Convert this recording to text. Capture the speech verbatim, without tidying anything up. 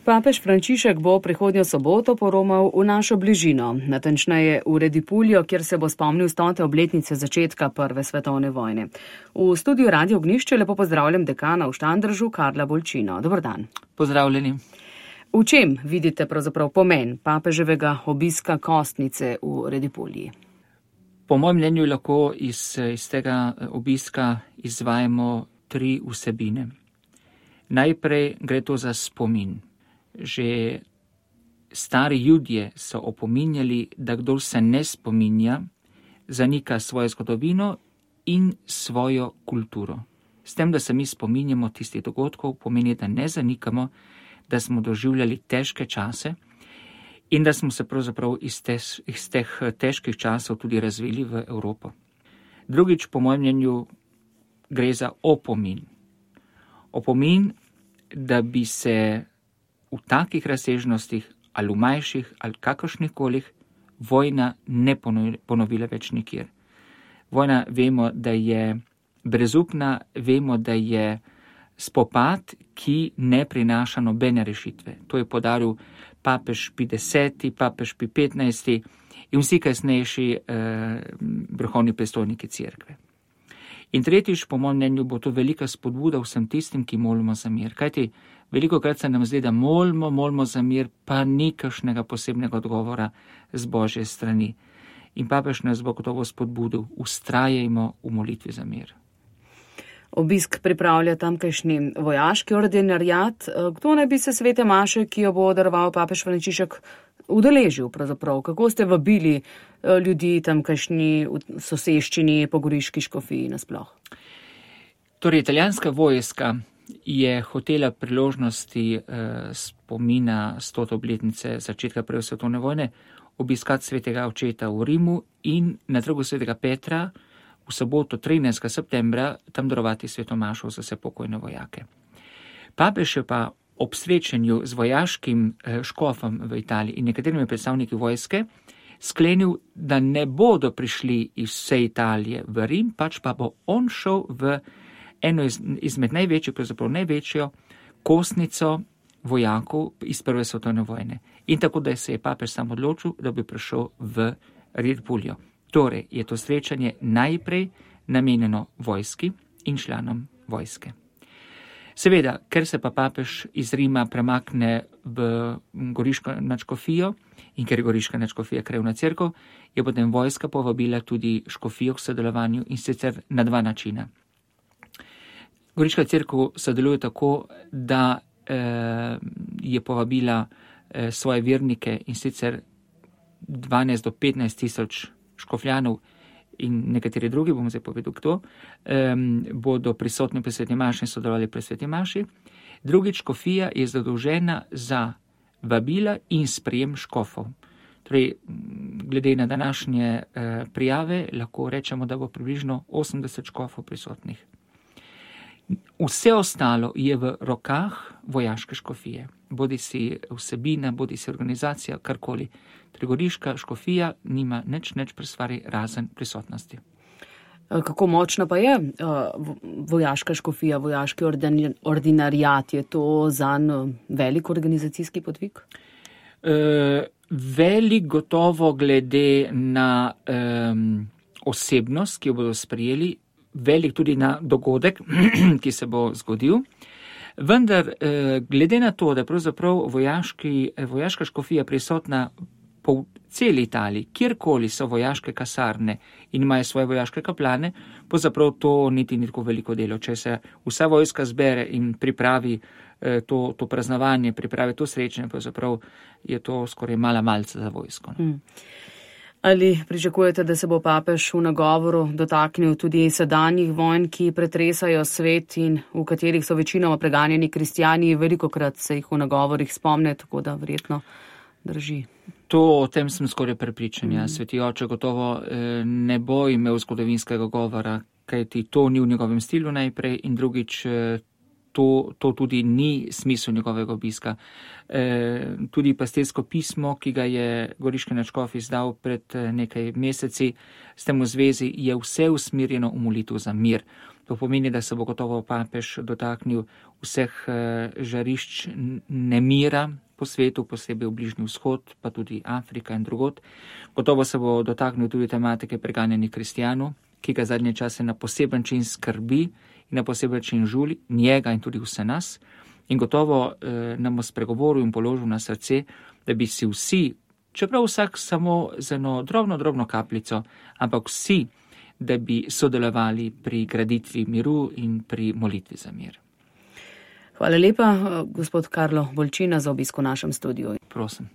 Papež Frančišek bo prihodnjo soboto poromal v našo bližino, natančneje v Redipuljo, kjer se bo spomnil stote obletnice začetka Prve svetovne vojne. V studiu Radio Ognjišče lepo pozdravljam dekana v Štandržu, Karla Bolčino. Dobar dan. Pozdravljeni. V čem vidite pravzaprav pomen papeževega obiska Kostnice v Redipulji? Po mojem mnenju lahko iz, iz tega obiska izvajamo tri vsebine. Najprej gre to za spomin. Že stari Judje so opominjali, da kdor se ne spominja, zanika svojo zgodovino in svojo kulturo. S tem, da se mi spominjamo tistih dogodkov, pomeni, da ne zanikamo, da smo doživljali težke čase in da smo se pravzaprav iz, te, iz teh težkih časov tudi razvili v Evropo. Drugič, po mojem mnenju, gre za opomin. Opomin, da bi se v takih razsežnostih ali v manjših ali kakršnikolih vojna ne ponovila več nikjer. Vojna vemo, da je brezupna, vemo, da je spopad, ki ne prinaša nobene rešitve. To je podaril papež Pij deseti, papež Pij petnajsti in vsi kasnejši eh, vrhovni predstojniki cerkve. In tretjič, po mojem mnenju, bo to velika spodbuda vsem tistim, ki molimo za mir. Kajti veliko krat se nam zdi, da molimo, molimo za mir, pa ni kakšnega posebnega odgovora z Božje strani. In papež nas bo gotovo spodbudil, ustrajajmo v molitvi za mir. Obisk pripravlja tamkajšnji vojaški ordinarjat. Kdo naj bi se svete maše, ki jo bo daroval papež Frančišek, udeležil pravzaprav? Kako ste vabili ljudi tamkajšnji v soseščini po Goriški škofiji nasploh? Torej, italijanska vojska je hotela priložnosti eh, spomina stote obletnice začetka Prve svetovne vojne obiskati svetega očeta v Rimu in na trgu svetega Petra v soboto trinajstega septembra tam darovati sveto mašo za vse pokojne vojake. Papež je pa ob srečanju z vojaškim eh, škofom v Italiji in nekaterimi predstavniki vojske sklenil, da ne bodo prišli iz vse Italije v Rim, pač pa bo on šel v eno iz, izmed največjih, pravzaprav največjo kostnico vojakov iz Prve svetovne vojne. In tako, da se je papež sam odločil, da bi prišel v Redipuljo. Torej je to srečanje najprej namenjeno vojski in članom vojske. Seveda, ker se pa papež iz Rima premakne v Goriško nadškofijo in ker je Goriška nadškofija krajevna cerkev, je potem vojska povabila tudi škofijo k sodelovanju in sicer na dva načina. Goriška cerkev sodeluje tako, da eh, je povabila eh, svoje vernike in sicer dvanajst do petnajst tisoč škofljanov in nekateri drugi, bomo zdaj povedal kdo, um, bodo prisotni pri sveti maši in sodelovali pri sveti maši. Drugič, škofija je zadolžena za vabila in sprejem škofov. Torej, glede na današnje uh, prijave, lahko rečemo, da bo približno osemdeset škofov prisotnih. Vse ostalo je v rokah vojaške škofije. Bodi si vsebina, bodi si organizacija, karkoli. Torej, Goriška škofija nima nič, nič presvari razen prisotnosti. Kako močna pa je vojaška škofija, vojaški ordinarjat? Je to zanj velik organizacijski podvig? E, velik gotovo glede na um, osebnost, ki jo bodo sprejeli, velik tudi na dogodek, ki se bo zgodil. Vendar, glede na to, da je pravzaprav vojaški, vojaška škofija prisotna po celi Italiji, kjerkoli so vojaške kasarne in imajo svoje vojaške kaplane, pravzaprav to niti ni tako veliko delo. Če se vsa vojska zbere in pripravi to, to praznovanje, pripravi to srečanje, pravzaprav je to skoraj mala malca za vojsko. Hmm. Ali pričakujete, da se bo papež v nagovoru dotaknil tudi sedanjih vojn, ki pretresajo svet in v katerih so večinoma preganjeni kristjani? Velikokrat se jih v nagovorih spomne, tako da verjetno drži. To, o tem sem skoraj prepričan. Mm. Sveti oče gotovo eh, ne bo imel zgodovinskega govora, kajti to ni v njegovem stilu najprej in drugič eh, To, to tudi ni smisel njegovega obiska. E, tudi pastirsko pismo, ki ga je Goriški nadškof izdal pred nekaj meseci, s tem v zvezi je vse usmerjeno v molitev za mir. To pomeni, da se bo gotovo papež dotaknil vseh žarišč nemira po svetu, posebej v Bližnji vzhod, pa tudi Afrika in drugod. Gotovo se bo dotaknil tudi tematike preganjenih kristjanov, ki ga zadnje čase na poseben način skrbi in na poseben način žuli njega in tudi vse nas. In gotovo eh, nam bo spregovoril in položil na srce, da bi si vsi, čeprav vsak samo z eno drobno, drobno kapljico, ampak vsi, da bi sodelovali pri graditvi miru in pri molitvi za mir. Hvala lepa, gospod Karlo Bolčina, za obisk v našem studiu. Prosim.